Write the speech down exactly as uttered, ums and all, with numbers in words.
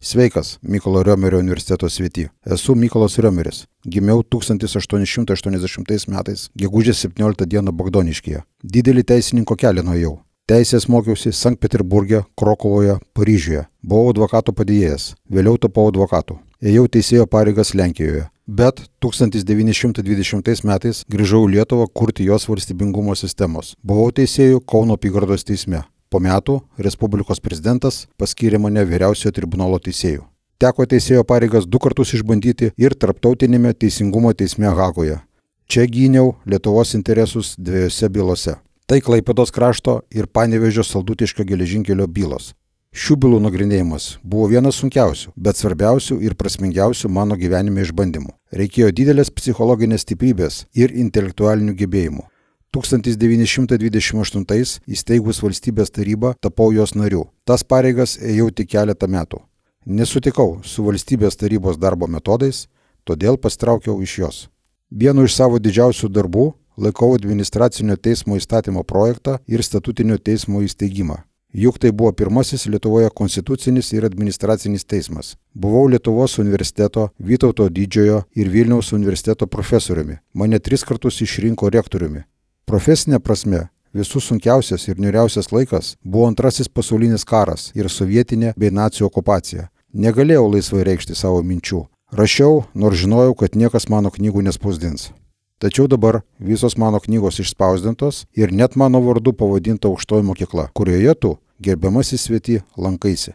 Sveikas, Mykolo Riomerio universiteto svety. Esu Mykolas Riomeris. Gimiau tūkstantis aštuoni šimtai aštuoniasdešimtais metais, gegužės septynioliktą dieną Bogdoniškyje. Didelį teisininko kelią nuėjau. Teisės mokiausi Sankt Peterburge, Krokuvoje, Paryžiuje. Buvau advokato padėjėjas. Vėliau tapau advokatu. Ėjau teisėjo pareigas Lenkijoje. Bet tūkstantis devyni šimtai dvidešimtais metais grįžau į Lietuvą kurti jos valstybingumo sistemos. Buvau teisėjų Kauno apygardos teisme. Po metų Respublikos prezidentas paskyrė mane vyriausiojo tribunolo teisėju. Teko teisėjo pareigas du kartus išbandyti ir Tarptautinėme teisingumo teisme Hagoje. Čia gyniau Lietuvos interesus dviejose bylose. Tai Klaipėdos krašto ir Panevėžio Saldutiškio geležinkelio bylos. Šių bylų nagrinėjimas buvo vienas sunkiausių, bet svarbiausių ir prasmingiausių mano gyvenime išbandymų. Reikėjo didelės psichologinės stiprybės ir intelektualinių gebėjimų. tūkstantis devyni šimtai dvidešimt aštuntais įsteigus valstybės tarybą tapau jos nariu. Tas pareigas ėjau tik keletą metų. Nesutikau su valstybės tarybos darbo metodais, todėl pasitraukiau iš jos. Vienu iš savo didžiausių darbų laikau administracinio teismo įstatymo projektą ir statutinio teismo įsteigimą. Juk tai buvo pirmasis Lietuvoje konstitucinis ir administracinis teismas. Buvau Lietuvos universiteto, Vytauto didžiojo ir Vilniaus universiteto profesoriumi. Mane tris kartus išrinko rektoriumi. Profesinė prasme, visų sunkiausias ir niūriausias laikas buvo antrasis pasaulinis karas ir sovietinė bei nacių okupacija. Negalėjau laisvai reikšti savo minčių. Rašiau, nors žinojau, kad niekas mano knygų nespausdins. Tačiau dabar visos mano knygos išspausdintos ir net mano vardu pavadinta aukštoji mokykla, kurioje tu, gerbiamasis svety, lankaisi.